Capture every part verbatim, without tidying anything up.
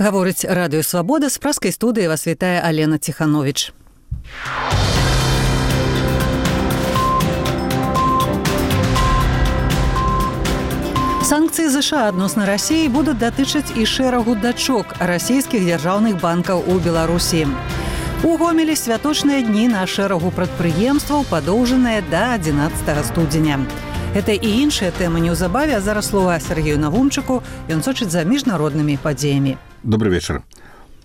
Гаворыць радыё «Свабода», з праскай студыі вас вітае Алена Ціхановіч. Санкцыі ЗША адносна Расіі будуць датычыць і шэрагу дачок расійскіх дзяржаўных банкаў у Беларусі. У Гомелі святочныя дні на шэрагу прадпрыемстваў падоўжаныя да адзінаццатага студзеня. Гэта і іншыя тэмы неўзабаве, а зараз слова Сергею Навумчыку, ён сочыць за міжнароднымі падзеямі. Добрый вечар.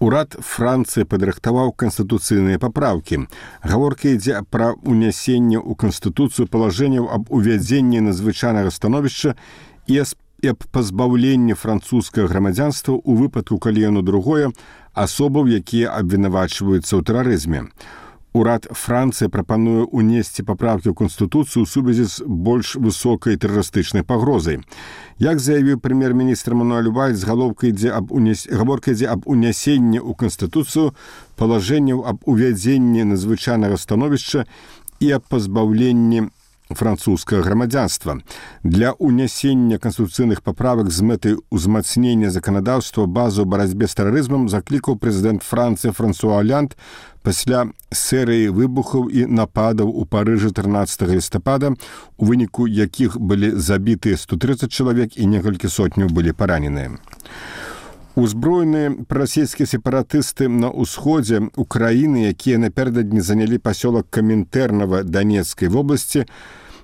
Урад Францыі падрыхтаваў канстытуцыйныя папраўкі. Гаворка ідзе пра ўнясенне ў канстытуцыю палажэнняў аб увядзенні надзвычайнага становішча і аб пазбаўленні французскага грамадзянства ў выпадку, калі яно другое, асобаў, якія абвінавачваюцца ў тэрарызме. Урад Францыі прапануе ўнесці папраўкі ў Канстытуцыю ў сувязі з больш высокай тэрарыстычнай пагрозай. Як заявіў прэм'ер-міністр Мануэль Вальс, гаворка ідзе аб унясенні ў Канстытуцыю палажэнняў аб увядзенні надзвычайнага становішча і аб пазбаўленні французскага грамадзянства. Для ўнясення канстытуцыйных паправак з мэтай узмацнення заканадаўства базу ў барацьбе з тэрарызмам заклікаў прэзідэнт Францыі Франсуа Олянд пасля серыі выбухаў і нападаў у Парыжы трынаццатага лістапада, у выніку якіх былі забітыя сто трыццаць чалавек і некалькі сотняў былі параненыя. Узброеныя прарасійскія сепаратысты на ўсходзе Украіны, якія напярэдадні занялі пасёлак Камінтэрнава Данецкай вобласці,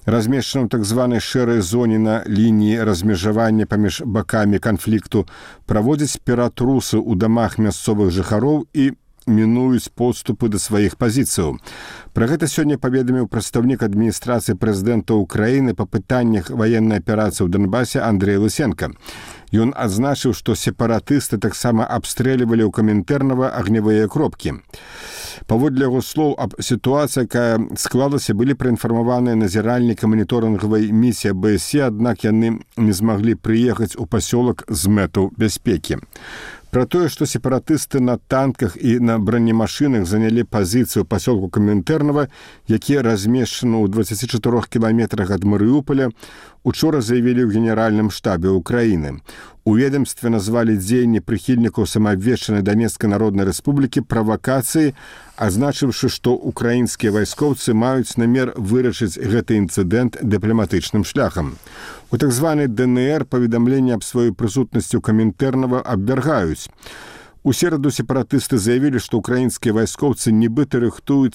размешчаным так званай шэрай зоне на лініі размежавання паміж бакамі канфлікту, праводзяць ператрусы ў дамах мясцовых жыхароў і мінуюць подступы да сваіх пазіцыяў. Пра гэта сёння паведаміў прадстаўнік адміністрацыі прэзідэнта Ўкраіны па пытаннях ваеннай аперацыі ў Донбасе Андрэй Лысенка. Ён адзначыў, што сепаратысты таксама абстрэльвалі ў Камінтэрнава агнявыя кропкі. Паводле яго слоў, аб сітуацыі, якая склалася, былі праінфармаваныя назіральніка маніторынгавай місіі бэ эс е, аднак яны не змаглі прыехаць у пасёлак з мэтаў бяспекі. Пра тое, што сепаратысты на танках і на бронемашынах занялі пазіцыю пасёлку Камінтэрнава, які размешчаны ў дваццаці чатырох кіламетрах ад Марыуполя, учора заявілі ў генеральным штабе Украіны. У ведамстве назвалі дзеянні прыхільнікаў самаабвешчанай Данецкай народнай рэспублікі правакацыяй, азначыўшы, што украінскія вайскоўцы маюць намер вырашыць гэты інцыдэнт дыпламатычным шляхам. У так званай дэ эн эр паведамленне аб сваёй прысутнасці ў Камінтэрнава абвяргаюць. У сераду сепаратысты заявілі, што украінскія вайскоўцы нібыта рыхтуюцца